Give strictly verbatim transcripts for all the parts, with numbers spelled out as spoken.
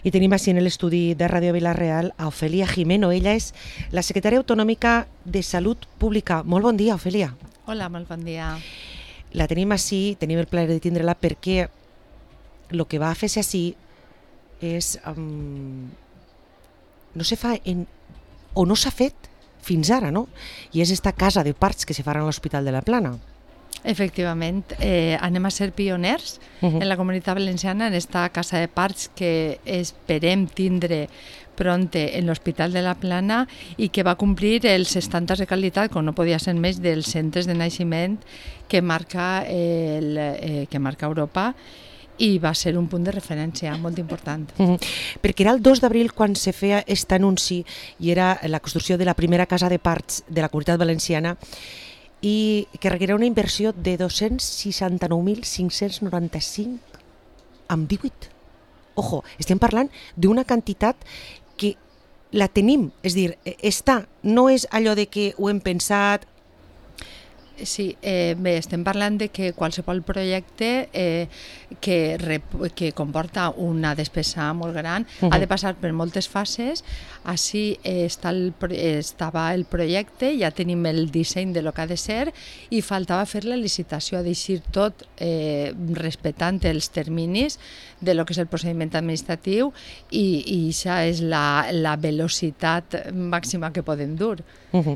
I tenim així en l'estudi de Ràdio Vila-real a Ofèlia Jimeno. Ella és la secretària autonòmica de Salut Pública. Molt bon dia, Ofèlia. Hola, molt bon dia. La tenim així, tenim el plaer de tindre-la perquè el que va a fer-se així és... Um, no se fa en, o no s'ha fet fins ara, no? I és esta casa de parts que se farà a l'Hospital de la Plana. Efectivament, eh, anem a ser pioners uh-huh. en la Comunitat Valenciana en esta casa de parts que esperem tindre pronte en l'Hospital de la Plana i que va complir els estàndards de qualitat, com no podia ser més, dels centres de naixement que marca, el, eh, que marca Europa, i va ser un punt de referència molt important. Uh-huh. Perquè era el dos d'abril quan se feia aquest anunci i era la construcció de la primera casa de parts de la Comunitat Valenciana i que requeria una inversió de dos-cents seixanta-nou mil cinc-cents noranta-cinc amb divuit. Ojo, estem parlant d'una quantitat que la tenim, és a dir, està, no és allò de que ho hem pensat. Sí, eh, bé, estem parlant de que qualsevol projecte eh, que, rep, que comporta una despesa molt gran uh-huh. ha de passar per moltes fases. Així eh, està el, estava el projecte, ja tenim el disseny de lo que ha de ser i faltava fer la licitació, deixar tot eh, respectant els terminis de lo que és el procediment administratiu i, i això és la, la velocitat màxima que podem dur. Uh-huh.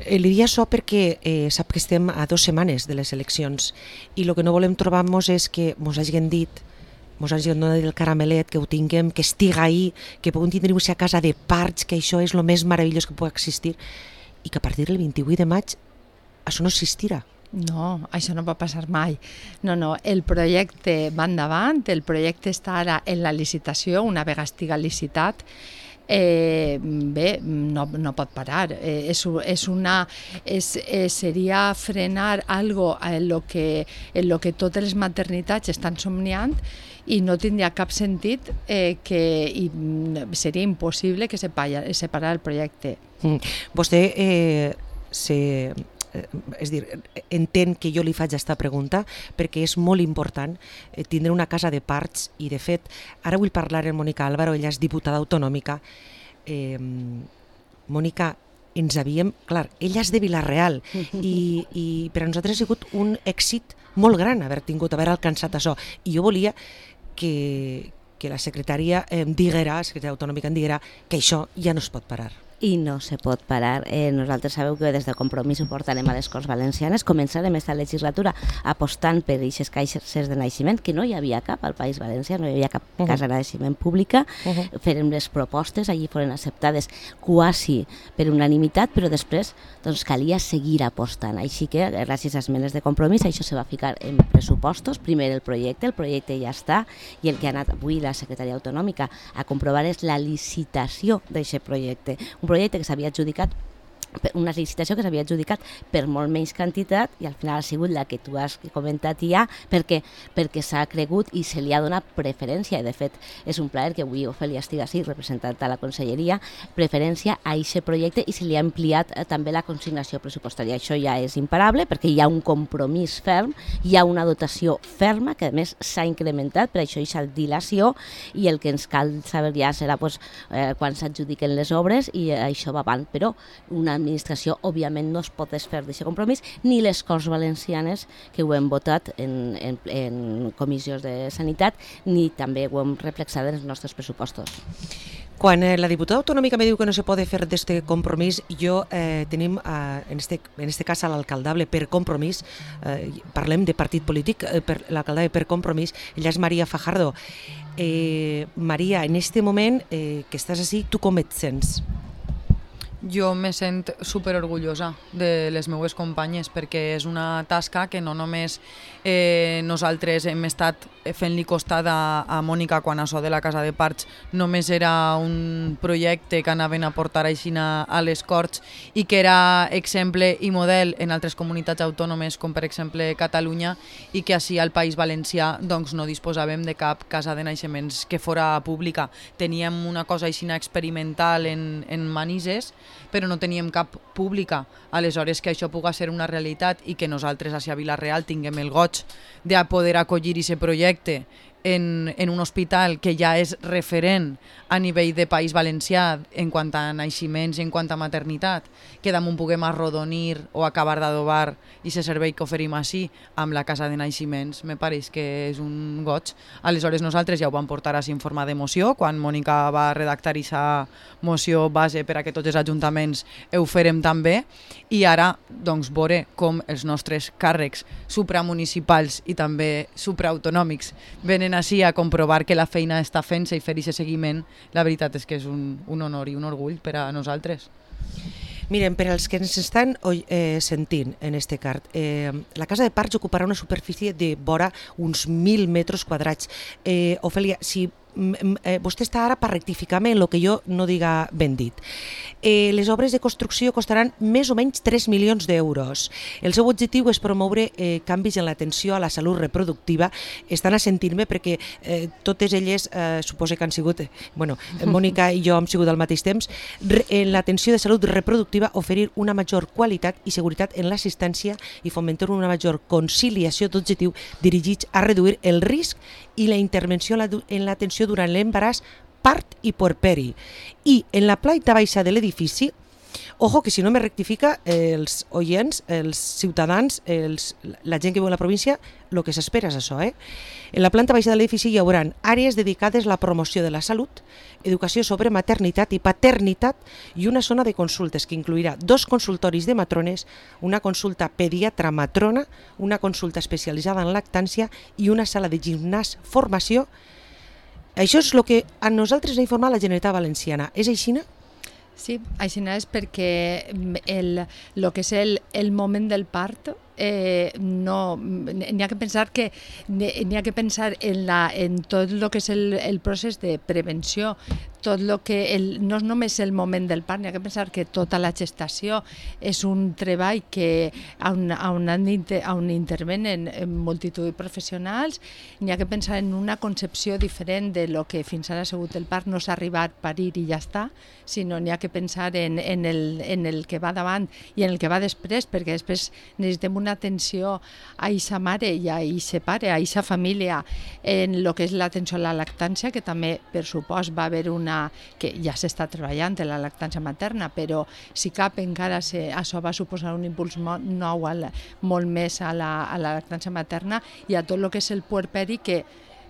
Eh, li dic això perquè eh, sap que estem a dues setmanes de les eleccions i el que no volem trobar-nos és que mos hagin dit, mos hagin donat el caramelet, que ho tinguem, que estiga ahí, que puguem tindre a casa de parts, que això és el més meravellós que pugui existir i que a partir del vint-i-vuit de maig això no existirà. No, això no va passar mai. No, no, el projecte va endavant, el projecte està ara en la licitació, una vegada estiga licitat, Eh, bé, no, no pot parar. Eh, és, és una, és, eh, seria frenar algo en lo que, en lo que totes les maternitats estan somniant i no tindria cap sentit eh, que i seria impossible que separa, separar el projecte. Mm. Vostè eh, se... és dir, entén que jo li faig aquesta pregunta perquè és molt important tindre una casa de parts i de fet ara vull parlar amb Mònica Álvaro, ella és diputada autonòmica. eh, Mònica, ens havíem, clar, ella és de Vila-real i, i per a nosaltres ha sigut un èxit molt gran haver tingut, haver alcançat això i jo volia que, que la secretària em diguera, la secretària autonòmica em diguera que això ja no es pot parar. I no se pot parar. Eh, nosaltres sabeu que des de Compromís ho portarem a les Corts Valencianes. Començarem aquesta legislatura apostant per aquestes caixes de naixement, que no hi havia cap al País Valencià, no hi havia cap uh-huh. casa de naixement pública. Uh-huh. Farem les propostes, allí foren acceptades quasi per unanimitat, però després doncs, calia seguir apostant. Així que, gràcies a esmenes de Compromís, això se va ficar en pressupostos. Primer el projecte, el projecte ja està, i el que ha anat avui la secretària autonòmica a comprovar és la licitació d'aquest projecte. Un projecte que s'havia adjudicat, una licitació que s'havia adjudicat per molt menys quantitat i al final ha sigut la que tu has comentat ja perquè, perquè s'ha cregut i se li ha donat preferència i de fet és un plaer que avui Ofèlia estigui així representant a la conselleria, preferència a aquest projecte i se li ha ampliat eh, també la consignació pressupostària. Això ja és imparable perquè hi ha un compromís ferm, hi ha una dotació ferma que a més s'ha incrementat, per això hi ha dilació i el que ens cal saber ja serà pues, eh, quan s'adjudiquen les obres i eh, això va avant, però una administració, òbviament, no es pot desfer d'aquest compromís, ni les Corts Valencianes, que ho hem votat en, en, en comissions de sanitat, ni també ho hem reflexat en els nostres pressupostos. Quan eh, la diputada autonòmica me diu que no se pot fer d'aquest compromís, jo eh, tenim, eh, en este, en este cas, a l'alcaldable per compromís, eh, parlem de partit polític, eh, per l'alcaldable per compromís, ella és Maria Fajardo. Eh, Maria, en este moment eh, que estàs així, tu com et sents? Jo me sent superorgullosa de les meues companyes perquè és una tasca que no només eh, nosaltres hem estat fent-li costat a, a Mònica quan això de la casa de parts només era un projecte que anaven a portar així a, a les Corts i que era exemple i model en altres comunitats autònomes com per exemple Catalunya i que així al País Valencià doncs, no disposàvem de cap casa de naixements que fora pública. Teníem una cosa així experimental en, en Manises però no teníem cap pública. Aleshores, que això pugui ser una realitat i que nosaltres a Vila-real tinguem el goig de poder acollir aquest projecte en, en un hospital que ja és referent a nivell de País Valencià en quant a naixements i en quant a maternitat, que damunt puguem arrodonir o acabar d'adobar i se servei que oferim així amb la casa de naixements, me pareix que és un goig. Aleshores nosaltres ja ho vam portar així en forma de moció, quan Mònica va redactar aquesta moció base per a que tots els ajuntaments ho farem també, i ara doncs veure com els nostres càrrecs supramunicipals i també supraautonòmics venen així a comprovar que la feina està fent-se i fer aquest seguiment. La veritat és que és un, un honor i un orgull per a nosaltres. Miren, per als que ens estan eh, sentint en este cart, eh, la casa de parcs ocuparà una superfície de vora uns mil metres quadrats. Eh, Ofèlia, si eh, vostè està ara per rectificar-me en el que jo no diga ben dit. Eh, les obres de construcció costaran més o menys tres milions d'euros. El seu objectiu és promoure eh, canvis en l'atenció a la salut reproductiva. Estan assentint-me perquè eh, totes elles eh, suposo que han sigut, eh, bueno, Mònica i jo hem sigut al mateix temps, re, en l'atenció de salut reproductiva oferir una major qualitat i seguretat en l'assistència i fomentar una major conciliació d'objectiu dirigits a reduir el risc i la intervenció en l'atenció durant l'embaràs, part i puerperi. I en la planta baixa de l'edifici, ojo que si no me rectifica, eh, els oients, els ciutadans, els, la gent que viu a la província, el que s'espera és això. Eh? En la planta baixa de l'edifici hi haurà àrees dedicades a la promoció de la salut, educació sobre maternitat i paternitat i una zona de consultes que incluirà dos consultoris de matrones, una consulta pediatra matrona, una consulta especialitzada en lactància i una sala de gimnàs formació. Això és el que a nosaltres ha informat la Generalitat Valenciana. És així? Sí, així és perquè el, el que és el, el moment del part eh, no, n'hi ha que pensar que n'hi ha que pensar en, la, en tot el que és el, el procés de prevenció, tot lo que el, no és només el moment del part, n'hi ha que pensar que tota la gestació és un treball que on, on, on intervenen multitud de professionals. N'hi ha que pensar en una concepció diferent de lo que fins ara ha sigut el part, no s'ha arribat a parir i ja està, sinó n'hi ha que pensar en, en, el, en el que va davant i en el que va després, perquè després necessitem una atenció a eixa mare i a eixe pare, a eixa família, en el que és l'atenció a la lactància, que també per supost va haver una que ja s'està treballant en la lactància materna, però si cap encara se, això va suposar un impuls nou al, molt més a la, a la lactància materna i a tot el que és el puerperi, que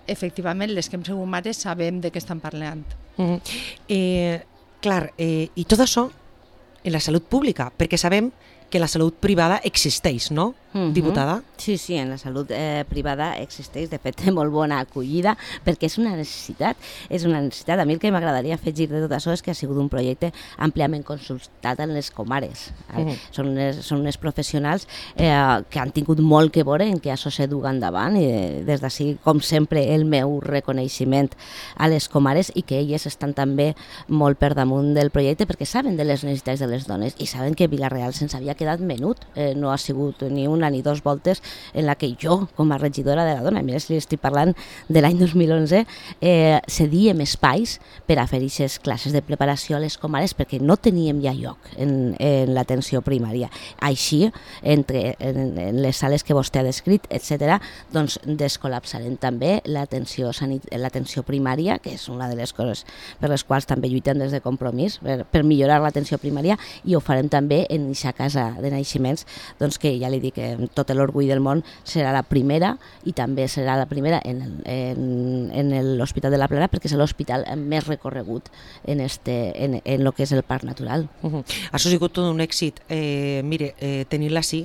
efectivament les que hem sigut mares sabem de què estan parlant. Mm-hmm. eh, clar, eh, i tot això en la salut pública, perquè sabem que la salut privada existeix, no, uh-huh. diputada? Sí, sí, en la salut eh, privada existeix, de fet té molt bona acollida, perquè és una necessitat, és una necessitat. A mi el que m'agradaria afegir de tot això és que ha sigut un projecte àmpliament consultat en les comares. Uh-huh. Són, unes, són unes professionals eh, que han tingut molt que veure en que això se duga endavant, i des d'ací, com sempre, el meu reconeixement a les comares, i que elles estan també molt per damunt del projecte perquè saben de les necessitats de les dones i saben que Vila-real se'ns havia quedat menut, eh, no ha sigut ni una ni dos voltes en la que jo, com a regidora de la dona, mira si estic parlant de l'any dos mil onze, eh, cedíem espais per a fer aquestes classes de preparació a les comares perquè no teníem ja lloc en, en l'atenció primària. Així, entre en, en les sales que vostè ha descrit, etcètera, doncs descol·lapsarem també l'atenció l'atenció primària, que és una de les coses per les quals també lluitem des de Compromís, per, per millorar l'atenció primària, i ho farem també en aquesta casa de naixements, doncs que ja li dic que tot l'orgull del món serà la primera, i també serà la primera en, en, en l'Hospital de la Plana, perquè és l'hospital més recorregut en, este, en, en lo que és el parc natural. Uh-huh. Això ha sigut tot un èxit. Eh, mire, eh, tenint-la així,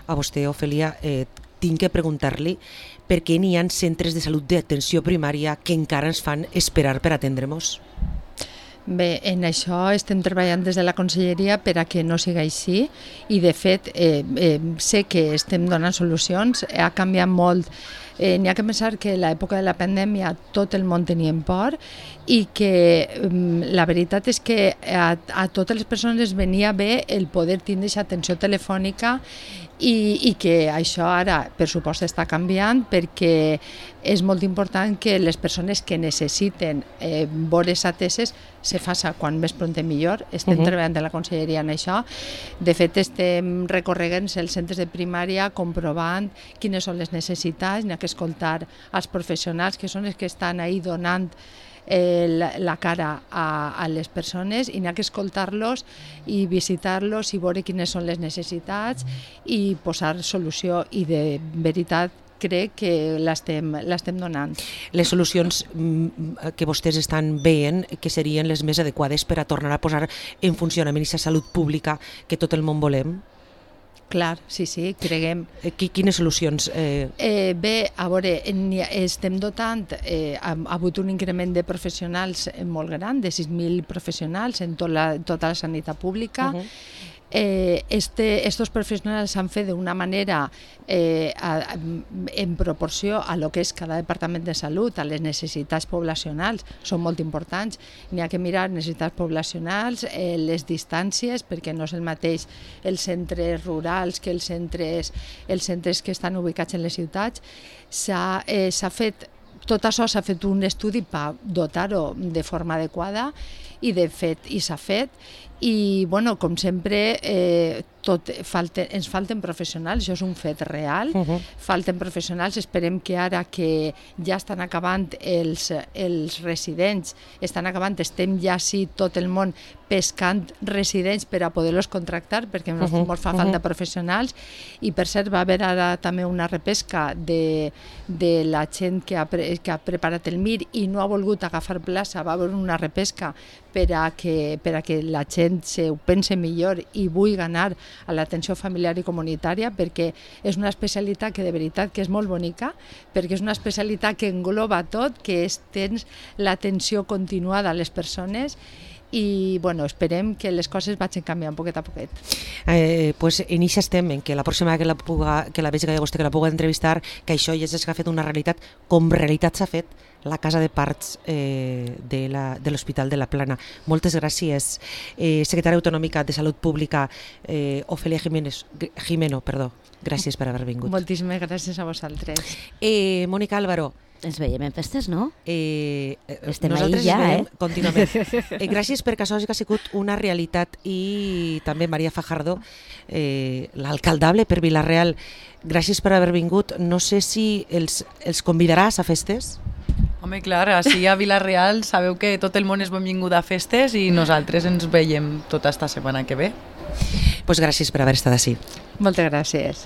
a vostè, Ofèlia, eh, tinc que preguntar-li per què n'hi ha centres de salut d'atenció primària que encara ens fan esperar per atendre-nos. Bé, en això estem treballant des de la Conselleria per a que no sigui així, i de fet eh, eh, sé que estem donant solucions, ha canviat molt. Eh, n'hi ha que pensar que a l'època de la pandèmia tot el món tenia por, i que eh, la veritat és que a, a totes les persones venia bé el poder tindre aquesta atenció telefònica i, i que això ara, per supost, està canviant perquè és molt important que les persones que necessiten eh, vores ateses se faça quan més pront millor. Estem uh -huh. treballant de la conselleria en això. De fet, estem recorregant els centres de primària comprovant quines són les necessitats, n'hi ha que escoltar als professionals que són els que estan ahí donant Eh, la, la cara a, a les persones i n'hi ha que escoltar-los i visitar-los i veure quines són les necessitats i posar solució, i de veritat crec que l'estem l'estem donant. Les solucions que vostès estan veient que serien les més adequades per a tornar a posar en funcionament aquesta salut pública que tot el món volem? Clar, sí, sí, creguem. Quines solucions? Eh... Eh, bé, a veure, estem dotant, eh, ha, ha hagut un increment de professionals molt gran, de sis mil professionals en tot la, tota la sanitat pública. Uh-huh. Eh, este, estos professionals s'han fet d'una manera eh, a, a, en proporció a lo que és cada departament de salut, a les necessitats poblacionals, són molt importants. N'hi ha que mirar necessitats poblacionals, eh, les distàncies, perquè no és el mateix els centres rurals que els centres, els centres que estan ubicats en les ciutats. S'ha eh, s'ha fet, tot això s'ha fet un estudi per dotar-ho de forma adequada i de fet i s'ha fet. I, bueno, com sempre, eh, tot falte, ens falten professionals, això és un fet real, uh-huh. falten professionals, esperem que ara que ja estan acabant els, els residents, estan acabant, estem ja sí tot el món pescant residents per a poder-los contractar, perquè ens uh-huh. fa falta uh-huh. professionals, i per cert va haver ara també una repesca de, de la gent que ha, pre, que ha preparat el M I R i no ha volgut agafar plaça, va haver una repesca per a que, per a que la gent se ho pense millor i vulgui ganar a l'atenció familiar i comunitària, perquè és una especialitat que de veritat que és molt bonica, perquè és una especialitat que engloba tot, que és tens l'atenció continuada a les persones, i bueno, esperem que les coses vagin canviant poquet a poquet. Eh, pues en això estem, en que la pròxima que la, puga, que la vegi que vostè que la pugui entrevistar, que això ja s'ha fet una realitat, com realitat s'ha fet la casa de parts eh, de l'Hospital de, de la Plana. Moltes gràcies. Eh, secretària autonòmica de Salut Pública, eh, Ofelia Jiménez, Jimeno, perdó. Gràcies per haver vingut. Moltíssimes gràcies a vosaltres. Eh, Mònica Álvaro. Ens veiem en festes, no? Eh, Estem nosaltres ahí ja, veiem eh? contínuament. Eh, gràcies perquè això ha sigut una realitat, i també Maria Fajardo, eh, l'alcaldable per Vila-real. Gràcies per haver vingut. No sé si els, els convidaràs a festes? Home, clar, així a Vila-real sabeu que tot el món és benvingut a festes i nosaltres ens veiem tota esta setmana que ve. Pues gràcies per haver estat així. Moltes gràcies.